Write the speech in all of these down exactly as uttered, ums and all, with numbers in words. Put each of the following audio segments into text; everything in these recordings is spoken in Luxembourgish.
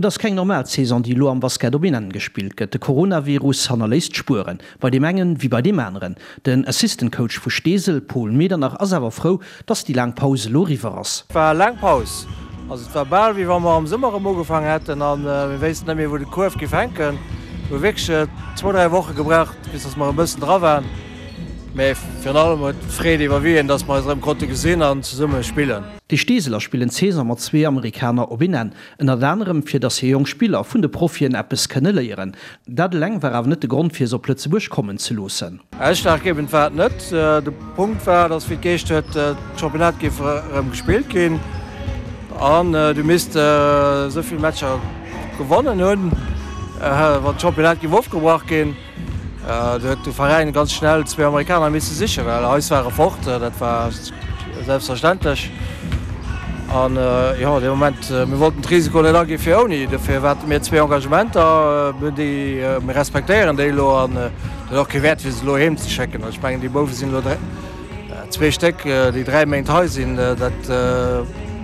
Et ass keng normal Saison, déi elo am Basket op een Enn gespillt gëtt. De Coronavirus hannerléisst Spueren, bei deem engen wéi bei deem aneren. Den Assistant Coach vu Steesel, Paul Medernach, ass awer frou, dass déi laang Paus elo eriwwer ass. Et war laang Paus. Also et war bal wéi wa mer am Summer erëm ugefaangen hätten a mir wéissten net méi wou de Kuerf géif hänken. Mir hu wierklech zwou, dräi Woche gebraucht, bis dass mer e bëssen dra waren. Mä virun allem huet d'Freed iwwerwien, dass mer eis erëm konnte gesinn an zesumme spillen. Déi Steeseler spillen d'Saison mat zwee Amerikaner op een Enn. Ënnert anerem fir dass hir jonk Spiller vun de Profien eppes kënne léieren. Dat eleng war awer net de Grond fir se op Lëtzebuerg kommen ze loossen. Ausschlaggebend war et net. De Punkt war, dass wéi et geheescht huet, d'Championnat géif erëm gespillt ginn an du misst esou vill Matcher gewonnen hunn, wann d'Championnat géif ofgebrach ginn. Do huet de Veräin ganz schnell zwee Amerikaner misse sichen, well eis ware fort, dat war selbstverständlech. An jo, dee Moment, mir wollten d'Risiko net aginn fir ouni. Dofir hate mir zwee Engagementer, déi mir respektéieren déi elo an et huet och kee Wäert fir se elo heem ze schécken. Ech mengen déi Bouwe sinn elo zwee Stéck, déi dräi Méint hei sinn, dat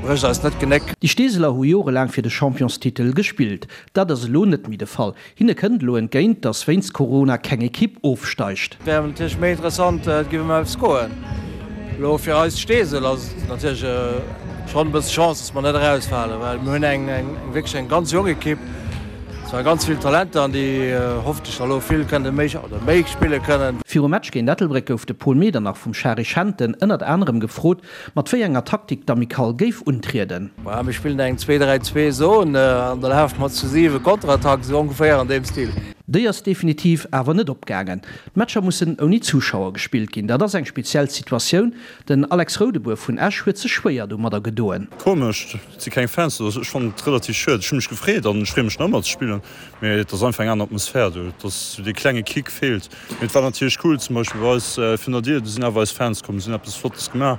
brécht eis net d'Genéck. Déi Steeseler hu jorelaang fir de Championstitel gespillt. Dat ass elo net méi de Fall. Hinne kënnt elo entgéint, datt wéinst Corona keng Ekipp ofsteigt. Et wär natierlech méi interessant, et géif ëm eppes goen. Elo fir eis Steesel ass et natierlech schonn e bësse Chance, datt mer net erausfalen, well mir hunn eng wierklech eng ganz jonk Ekipp, zwar ganz vill Talenter an déi hoffentlech da elo vill kënne méi oder méi spille kënnen. Virum Match géint Ettelbréck gouf de Paul Medernach vum Shari Schenten ënnert anerem gefrot, mat wéi enger Taktik d'Amicale géif untrieden. Maja, mir spillen eng Zwee-dräi-zwee-Zon an da lafe mer zu siwe Konterattack, esou ongeféier an deem Stil. Déi ass definitiv awer net opgaangen. D'Matcher mussen ouni Zuschauer gespillt ginn. Dat ass eng speziell Situatioun. Den Alex Roudebour vun Esch huet sech schwéier domadder gedoen. Komesch, et si keng Fans do. Ech fannen et relativ schued. Ech hu mech gefreet an ech freeë mech nach ëmmer ze spillen, mee et ass einfach eng aner Atmosphär do. Et ass esou dee klenge Kick feelt. Mee et war natierlech cool, zum Beispill bei eis virun der Dier, do sinn awer eis Fans komm, si hunn eppes Flottes gemaach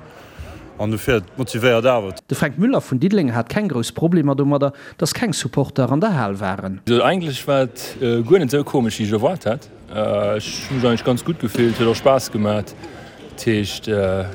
an dofir, et motivéiert awer. De Fränk Müller vun Diddeleng hat keng grouss Problemer domadder, datt keng Supporter an der Hal waren. Eigentlech war et guer net esou komesch, wéi ech erwaart hat. Ech hu mech eigentlech ganz gutt gefillt, huet och Spaass gemat. Dat heescht,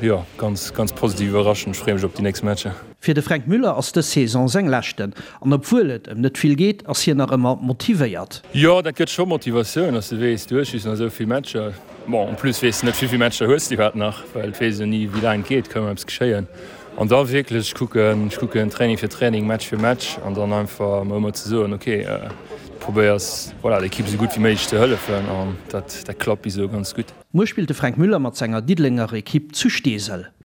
jo, ganz, ganz positiv iwwerraschend. Ech freeë mech op déi nächst Matcher. Fir de Fränk Müller ass dës Saison seng leschten an obwuel et ëm net vill geet, ass hien nach ëmmer motivéiert. Jo, dat gëtt scho Motivatioun, dass de weess, du hues just nach esou vill Matcher. Bon, en plus weess de net, wéi vill Matcher hues de iwwerhaapt nach, well et weess een ni, wéi laang et geet, ka ëmmer eppes geschéien. An da wierklech kucken, ech kucken Training fir Training, Match fir Match an dann einfach mer ëmmer ze soen, ok, du probéiers, voilà, der Ekipp esou gutt wéi méiglech ze hëllefen an dat, dat klappt bis elo ganz gutt. Muer spillt de Fränk Müller mat senger Diddelenger Ekipp zu Steesel.